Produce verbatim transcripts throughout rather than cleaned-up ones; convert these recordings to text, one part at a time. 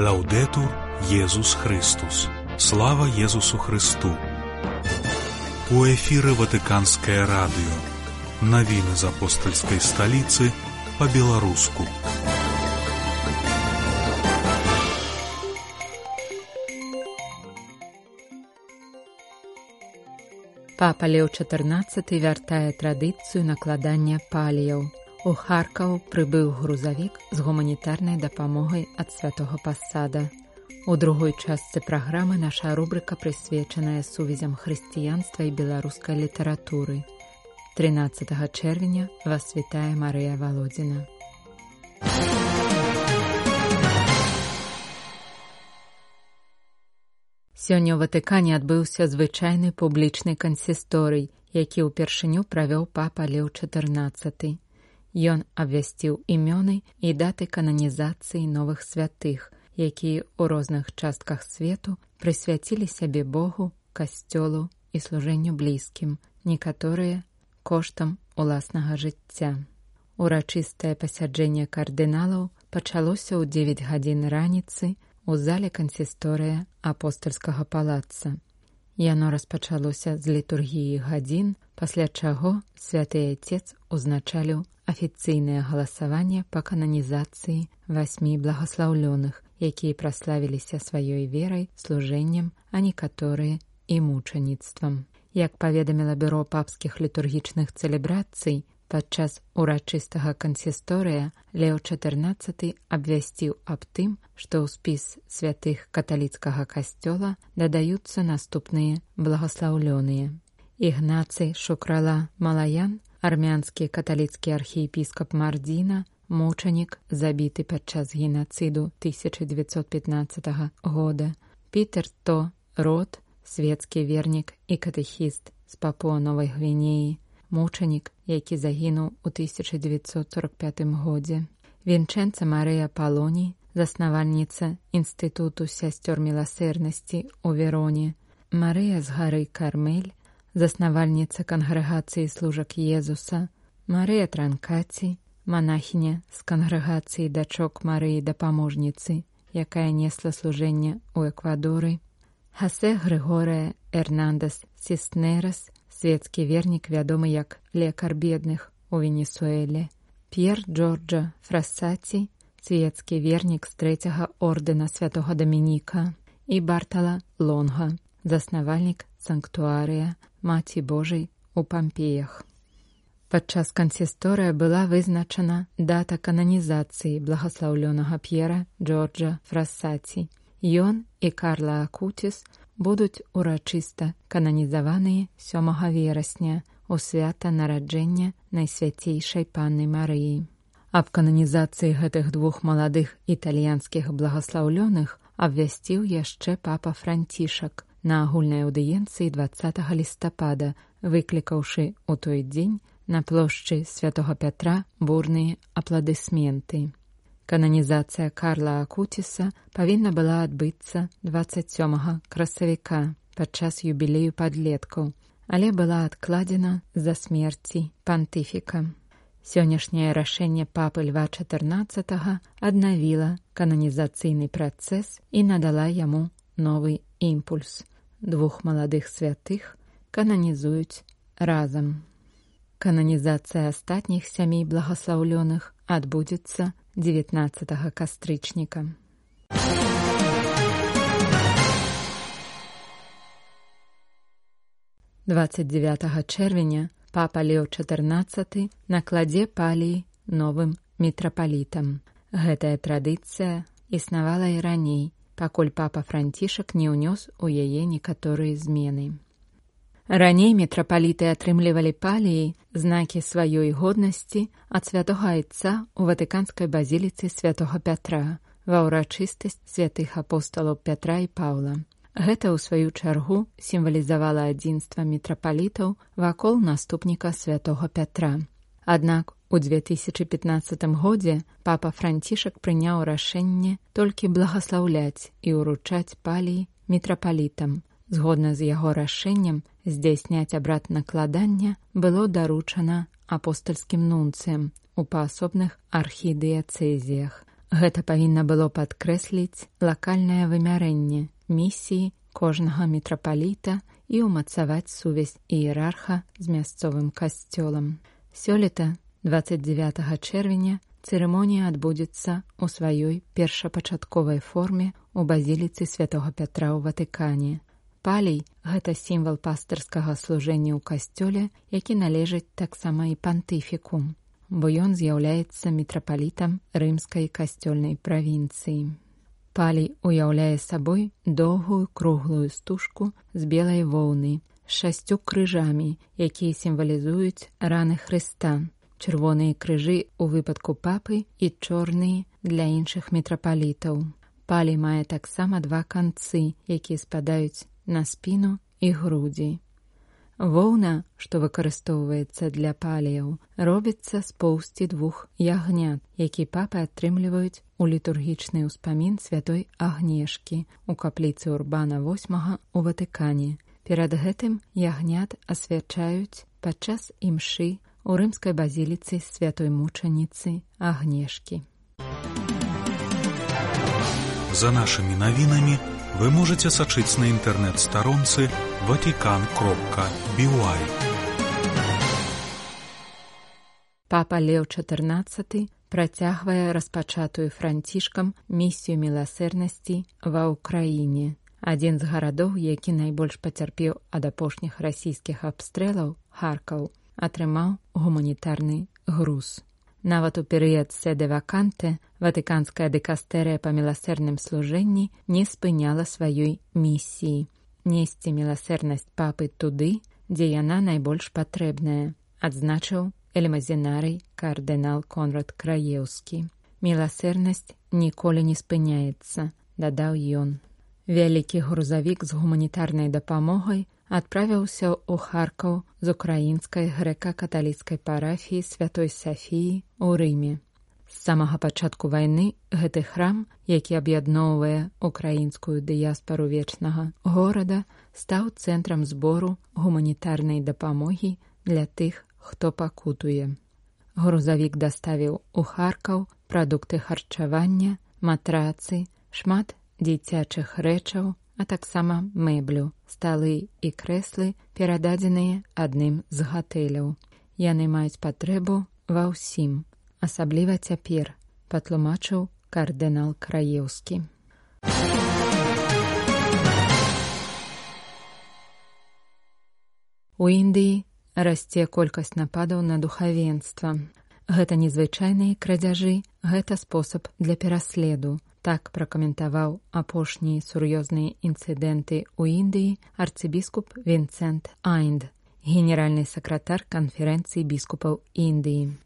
Лаўдетур Єсус Христос. Слава Єсусу Христу. У эфіры Ватыканскае радыё. Навіны з апостальскай сталіцы па-беларуску. Папа Леў чатырнаццаты вяртае традыцыю накладання паліяў. У Харкаў прыбыў грузавік з гуманітарнай дапамогай ад святога пасада. У другой частцы праграмы наша рубрыка прысвечаная сувязям хрысціянства і беларускай літаратуры. трынаццатага чэрвеня вас вітае Марыя Валодзіна. Сёння ў Ватыкане адбыўся звычайны публічны кансісторый, які ўпершыню правёў папа Леў чатырнаццаты. Ён абвясціў імёны і даты кананізацыі новых святых, якія ў розных частках свету прысвяцілі сябе Богу, касцёлу і служэнню блізкім, некаторыя коштам уласнага жыцця. Урачыстае пасяджэнне кардыналаў пачалося ў дзевяць гадзін раніцы у зале кансісторыя апостальскага палаца. Яно распачалося з літургіі гадзін, пасля чаго святы Айцец узначаліў афіцыйнае галасаванне па кананізацыі васьмі благаслаўлёных, якія праславіліся сваёй верай, служэннем, а некаторыя і мучаніцтвам. Як паведаміла бюро папскіх літургічных цэлебрацый, падчас урачыстага кансісторыя Леў чатырнаццаты абвясціў аб тым, што ў спіс святых каталіцкага касцёла дадаюцца наступныя благаслаўлёныя. Ігнацый Шукрала Малаян, армянскі каталіцкі архіепіскап Мардзіна, мучанік, забіты падчас генацыду тысяча дзевяцьсот пятнаццатага года. Пітер То Рот, свецкі вернік і катэхіст з Папуа-Новай Гвінеі, мучанік, які загінуў у тысяча дзевяцьсот сорак пятым годзе. Вінчэнца Марыя Палоній, заснавальніца Інстытуту сясцёр міласэрнасці ў Вероне. Марыя з гары Кармель, заснавальніца кангрэгацыі служак Езуса. Марыя Транкаці, манахіня з кангрэгацыі дачок Марыі Дапаможніцы, якая несла служэнне ў Эквадоры. Хасе Грыгорыя Эрнандес Сіснерас, светскі вернік, вядомы як лекар бедных у Венесуэле. П'ер Джорджа Фрассаці, светскі вернік з трэцяга ордэна святога Дамініка. І Бартала Лонга, заснавальнік санктуарыя Маці Божай у Пампеях. Падчас кансісторыя была вызначана дата кананізацыі благаслаўлёнага П'ера Джорджа Фрассаці. Ён і Карла Акуціс будуць урачыста кананізаваныя сёмага верасня у свята нараджэння Найсвяцейшай Панны Марыі. Аб кананізацыі гэтых двух маладых італьянскіх благаслаўлёных абвясціў яшчэ папа Францішак на агульнай аўдыенцыі дваццатага лістапада, выклікаўшы ў той дзень на плошчы святога Пятра бурныя апладысменты. Кананізацыя Карла Акуціса павінна была адбыцца дваццаць сёмага красавіка падчас юбілею падлеткаў, але была адкладзена з-за смерці пантыфіка. Сённяшняе рашэнне папы Льва чатырнаццатага аднавіла кананізацыйны працэс і надала яму новы імпульс. Двух маладых святых кананізуюць разам. Кананізацыя астатніх сямі благаслаўлёных адбудзецца дзевятнаццатага кастрычніка. дваццаць дзевятага чэрвеня папа Леў чатырнаццаты накладзе паліі новым мітрапалітам. Гэтая традыцыя існавала і раней, пакуль папа Францішак не ўнёс у яе некаторыя змены. Раней мітрапаліты атрымлівалі паліі, знакі сваёй годнасці ад святога Айца ў ватыканскай базіліцы святога Пятра ва ўрачыстасць святых апосталаў Пятра і Паўла. Гэта, ў сваю чаргу, сімвалізавала адзінства мітрапалітаў вакол наступніка святога Пятра. Аднак у две тысячы пятнаццатым годзе папа Францішак прыняў рашэнне толькі благаслаўляць і ўручаць паліі мітрапалітам. Згодна з яго рашэннем здзяйсняць абрад накладання было даручана апостальскім нунцыям у паасобных архідыяцэзіях, Гэта павінна было падкрэсліць лакальнае вымярэнне місіі кожнага мітрапаліта і ўмацаваць сувязь іерарха з мясцовым касцёлам. Сёлета, дваццаць дзевятага чэрвеня, цырымонія адбудзецца ў сваёй першапачатковай форме ў базіліцы святога Пятра ў Ватыкане. Палій – гэта сімвал пастырскага служэння ў касцёле, які належыць таксама і пантыфіку, бо ён з'яўляецца мітрапалітам рымскай касцёльнай правінцыі. Палій уяўляе сабой доўгую круглую стужку з белай воўны, з шасцю крыжамі, якія сімвалізуюць раны Хрыста, чырвоныя крыжы ў выпадку папы і чорныя для іншых мітрапалітаў. Палій мае таксама два канцы, якія спадаюць на спіну і грудзі. Воўна, што выкарыстоўваецца для паліяў, робіцца з поўсці двух ягнят, які папы атрымліваюць у літургічны ўспамін святой Агнешкі ў капліцы Урбана восьмага ў Ватыкане. Перад гэтым ягнят асвячаюць падчас імшы у рымскай базіліцы святой мучаніцы Агнешкі. За нашымі навінамі вы можете сачыць на інтэрнэт-старонцы ватикан кропка би уай. Папа Леў чатырнаццаты працягвае распачатую Францішкам місію міласэрнасці ва ўкраіне. Адзін з гарадоў, які найбольш пацярпеў ад апошніх расійскіх абстрэлаў, Харкаў, атрымаў гуманітарны груз. Нават у перыяд седе ваканте ватыканская дыкастэрыя па міласэрным служэнні не спыняла сваёй місіі несці міласэрнасць папы туды, дзе яна найбольш патрэбная, адзначыў элемазінарый кардынал Конрад Краеўскі. Міласэрнасць ніколі не спыняецца, дадаў ён. Вялікі грузавік з гуманітарнай дапамогай адправіўся ў Харкаў з украінскай грэка-каталіцкай парафіі святой Сафіі ў Рыме. З самага пачатку вайны гэты храм, які аб'ядноўвае украінскую дыяспару вечнага горада, стаў цэнтрам збору гуманітарнай дапамогі для тых, хто пакутуе. Грузавік даставіў у Харкаў прадукты харчавання, матрацы, шмат дзіцячых рэчаў, а таксама мэблю, сталы і крэслы, перададзеныя адным з гатэляў. Яны маюць патрэбу ва ўсім, асабліва цяпер, патлумачыў кардынал Краеўскі. У Індыі расце колькасць нападаў на духавенства. Гэта незвычайныя крадзяжы, гэта спосаб для пераследу. Так пракаментаваў апошнія сур'ёзныя інцыдэнты ў Індыі арцыбіскуп Вінсент Айнд, генеральны сакратар канферэнцыі біскупаў Індыі.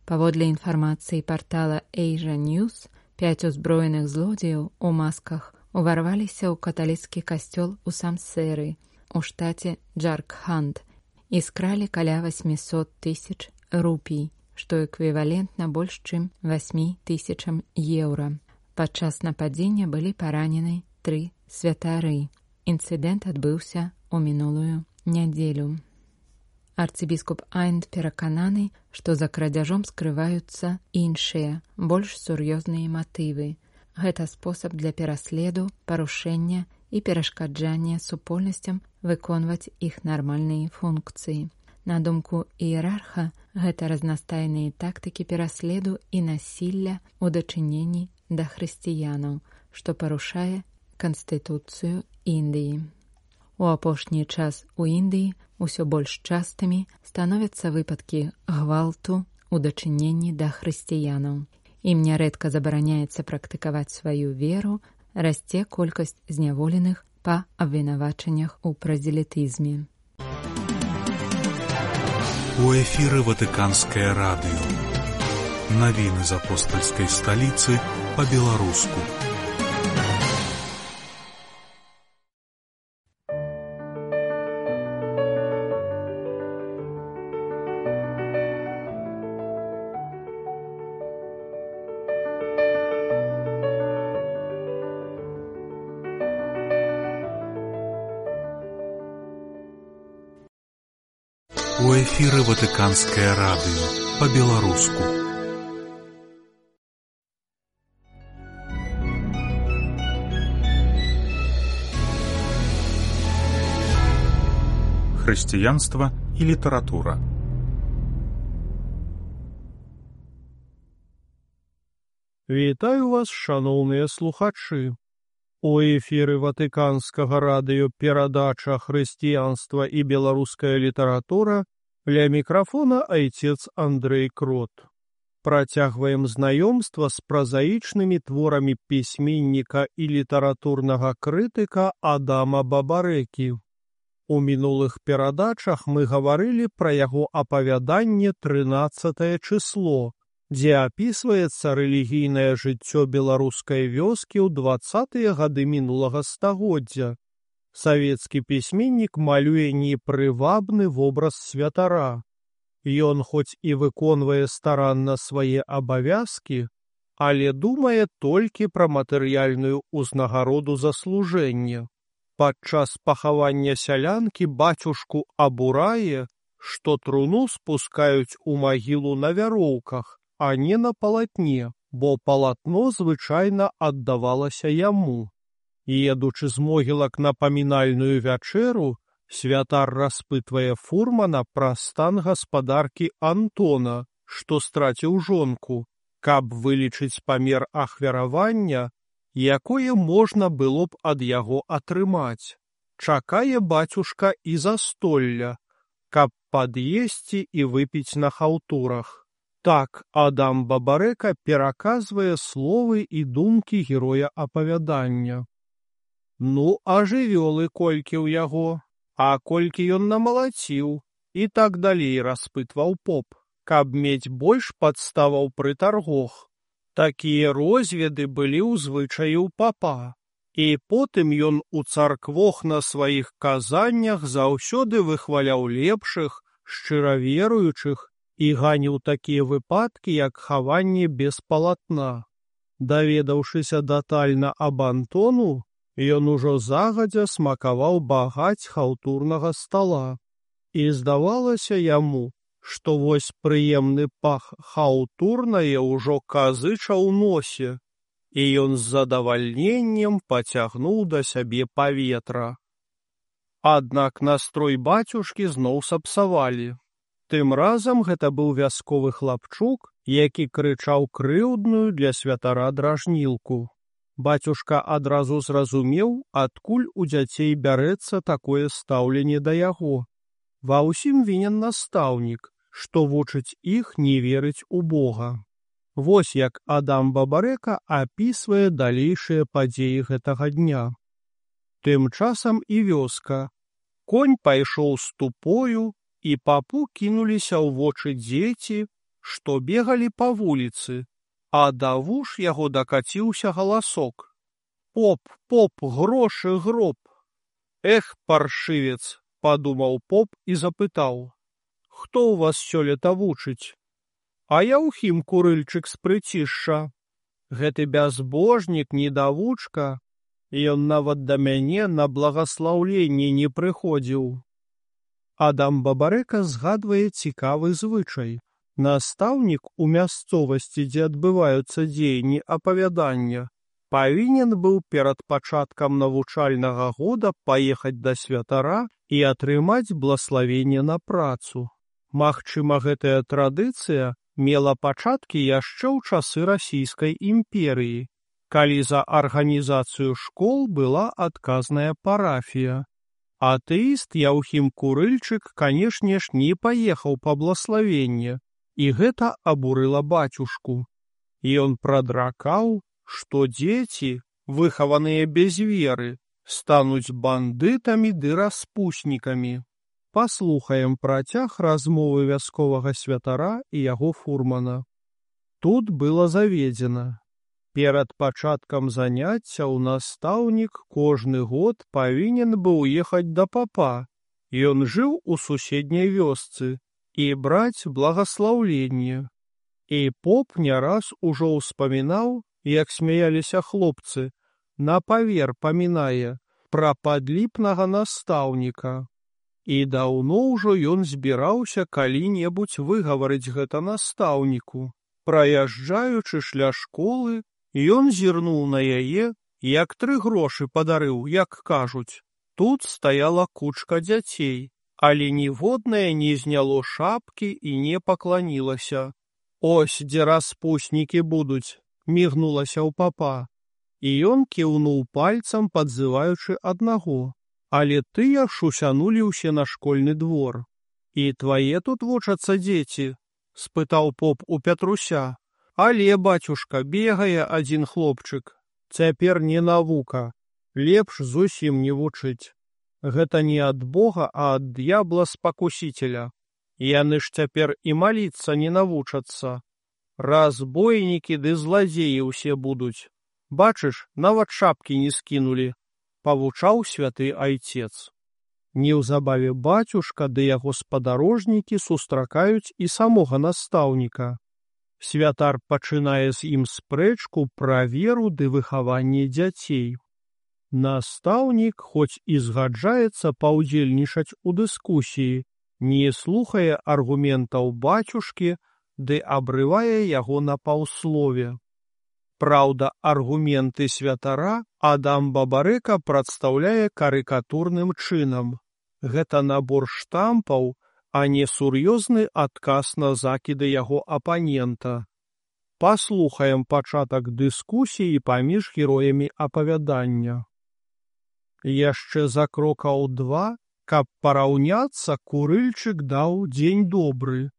Паводле інфармацыі партала Asia News, пяць узброеных злодзеяў у масках уварваліся ў каталіцкі касцёл у Самсеры, у штаце Джаркханд, і скралі каля васьмісот тысяч рупій, што эквівалентна больш чым васьмі тысячам еўра. Падчас нападзення былі паранены тры святары. Інцыдэнт адбыўся ў мінулую нядзелю. Арцыбіскуп Айнд перакананы, што за крадзяжом скрываюцца іншыя, больш сур'ёзныя матывы. Гэта спосаб для пераследу, парушэння і перашкаджання супольнасцям выконваць іх нармальныя функцыі. На думку іерарха, гэта разнастайныя тактыкі пераследу і насілля ў дачыненні да хрысціянаў, што парушае Канстытуцыю Індыі. У апошні час у Індыі ўсё больш частымі становяцца выпадкі гвалту ў дачыненні да хрысціянаў. Ім нярэдка забараняецца практыкаваць сваю веру, расце колькасць зняволеных па абвінавачаннях у празелітызме. У эфіры Ватыканскае радыё. Навіны з апостальскай сталіцы па-беларуску. У эфіры Ватыканскае радыё па-беларуску. хрысціянства і літаратура. Вітаю вас, шаноўныя слухачы. У эфіры Ватыканскага радыё перадача «Хрысціянства і беларуская літаратура», ля мікрафона айцец Андрэй Крот. Працягваем знаёмства з празаічнымі творамі пісьменніка і літаратурнага крытыка Адама Бабарэкі. У мінулых перадачах мы гаварылі пра яго апавяданне «трынаццатае чысло», дзе апісваецца рэлігійнае жыццё беларускай вёскі ў дваццатыя гады мінулага стагоддзя. Савецкі пісьменнік малюе непрывабны вобраз святара. Ён хоць і выконвае старанна свае абавязкі, але думае толькі пра матэрыяльную ўзнагароду за служэнне. Падчас пахавання сялянкі бацюшку абурае, што труну спускаюць у магілу на вяроўках, а не на палатне, бо палатно звычайна аддавалася яму. Едучы з могілак на памінальную вячэру, святар распытвае фурмана пра стан гаспадаркі Антона, што страціў жонку, каб вылічыць памер ахвяравання, якое можна было б ад яго атрымаць. Чакае бацюшка і застолля, каб пад'есці і выпіць на хаўтурах. Так Адам Бабарэка пераказвае словы і думкі героя апавядання. Ну, а жывёлы колькі ў яго, а колькі ён намалаціў, і так далей распытваў поп, каб мець больш падставаў пры таргох. Такія розведы былі ў звычаі ў папа, і потым ён у царквох на сваіх казаннях заўсёды выхваляў лепшых, шчыра веруючых, і ганіў такія выпадкі, як хаванне без палатна. Даведаўшыся дэтальна аб Антону, ён ужо загадзя смакаваў багаць хаўтурнага стала. І здавалася яму, што вось прыемны пах хаўтурнае ўжо казыча ў носе, і ён з задавальненнем пацягнуў да сябе паветра. Аднак настрой бацюшкі зноў сапсавалі. Тым разам гэта быў вясковы хлапчук, які крычаў крыўдную для святара дражнілку. Бацюшка адразу зразумеў, адкуль у дзяцей бярэцца такое стаўленне да яго. Ва ўсім вінен настаўнік, што вучыць іх не верыць у Бога. Вось як Адам Бабарэка апісвае далейшыя падзеі гэтага дня. Тым часам і вёска. Конь пайшоў з тупою, і папу кінуліся ў вочы дзеці, што бегалі па вуліцы, а да вуш яго дакаціўся галасок. «Поп, поп, грошы, гроб!» «Эх, паршывец!» — падумаў поп і запытаў. «Хто ў вас сёлета вучыць?» «А Яўхім Курыльчык з Прыцішша. Гэты бязбожнік, недавучка, ён нават да мяне на благаслаўленне не прыходзіў». Адам Бабарэка згадвае цікавы звычай. Настаўнік у мясцовасці, дзе адбываюцца дзеянні апавядання, павінен быў перад пачаткам навучальнага года паехаць да святара і атрымаць блаславенне на працу. Магчыма, гэтая традыцыя мела пачаткі яшчэ ў часы Расійскай імперыі, калі за арганізацыю школ была адказная парафія. Атэіст Яўхім Курыльчык, канешне ж, не паехаў па блаславенне, і гэта абурыла бацюшку. Ён прадракаў, што дзеці, выхаваныя без веры, стануць бандытамі ды распуснікамі. Паслухаем працяг размовы вясковага святара і яго фурмана. Тут было заведзена. Перад пачаткам заняццяў настаўнік кожны год павінен быў ехаць да папа. Ён жыў у суседняй вёсцы і браць благаслаўленне. І поп не раз ужо ўспамінаў, як смяяліся хлопцы, на павер памінае пра падліпнага настаўніка. І даўно ўжо ён збіраўся калі-небудзь выгаварыць гэта настаўніку. Праязджаючы ля школы, ён зірнуў на яе, як тры грошы падарыў, як кажуць. Тут стаяла кучка дзяцей, але ніводнае не зняло шапкі і не пакланілася. «Ось, дзе распуснікі будуць», — мігнулася ў папа. І ён кіўнуў пальцам, падзываючы аднаго. Але тыя шусянулі ўсе на школьны двор. «І твае тут вучацца дзеці?» — спытаў поп у Пятруся. «Але, бацюшка, бегае адзін хлопчык. Цяпер не навука. Лепш зусім не вучыць. Гэта не ад Бога, а ад д'ябла-спакусіцеля. Яны ж цяпер і маліцца не навучацца. Разбойнікі ды зладзеі ўсе будуць. Бачыш, нават шапкі не скінулі», — павучаў святы айцец. Неўзабаве бацюшка ды яго спадарожнікі сустракаюць і самога настаўніка. Святар пачынае з ім спрэчку пра веру ды выхаванне дзяцей. Настаўнік, хоць і згаджаецца паўдзельнічаць у дыскусіі, не слухае аргументаў бацюшкі ды абрывае яго на паўслове. Праўда, аргументы святара Адам Бабарэка прадстаўляе карыкатурным чынам. Гэта набор штампаў, а не сур'ёзны адказ на закіды яго апанента. Паслухаем пачатак дыскусіі паміж героямі апавядання. Яшчэ за крокаў два, каб параўняцца, Курыльчык даў дзень добры.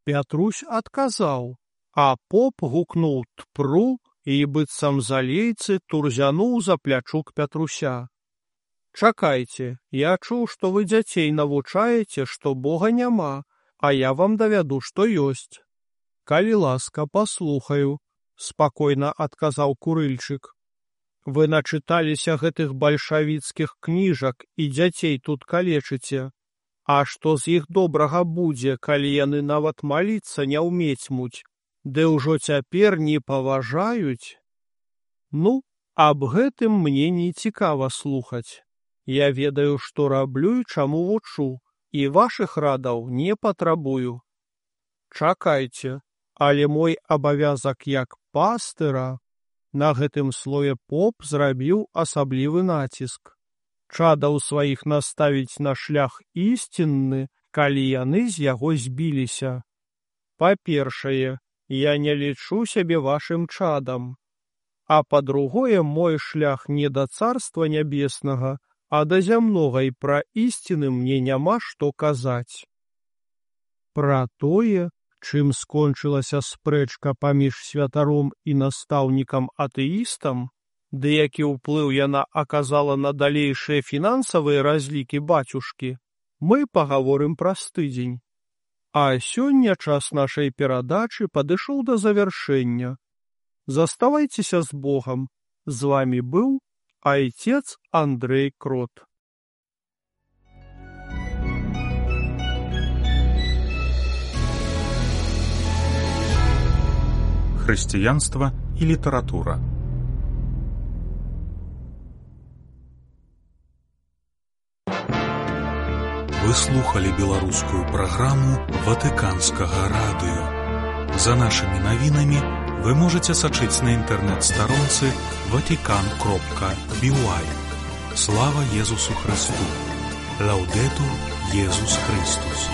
Пятрусь адказаў, а поп гукнуў «тпру» і быццам залейцы турзянуў за плячук Пятруся. «Чакайце, я чуў, што вы дзяцей навучаеце, што Бога няма, а я вам давяду, што ёсць». «Калі ласка, паслухаю», — спакойна адказаў Курыльчык. «Вы начыталіся гэтых бальшавіцкіх кніжак і дзяцей тут калечыце. А што з іх добрага будзе, калі яны нават маліцца не ўмецьмуць, ды ўжо цяпер не паважаюць? Ну, аб гэтым мне не цікава слухаць. Я ведаю, што раблю і чаму вучу, і вашых радаў не патрабую. Чакайце, але мой абавязак як пастыра». На гэтым слое поп зрабіў асаблівы націск. Чадаў сваіх наставіць на шлях ісцінны, калі яны з яго збіліся. Па-першае, я не лічу сябе вашым чадам. А па-другое, мой шлях не да царства нябеснага, а да зямнога, і пра ісціны мне няма што казаць. Пра тое, чым скончылася спрэчка паміж святаром і настаўнікам-атэістам, ды які ўплыў яна аказала на далейшыя фінансавыя разлікі бацюшкі, мы пагаворым праз тыдзень. А сёння час нашай перадачы падышоў да завяршэння. Заставайцеся з Богам. З вамі быў айцец Андрэй Крот. Хрысціянства і літаратура. Вы слухали беларускую праграму Ватыканскага радыё. За нашымі навінамі вы можаце сачыць на інтэрнэт-старонцы ватикан кропка би уай. Слава Езусу Христу! Лаўдэтур Езус Христус!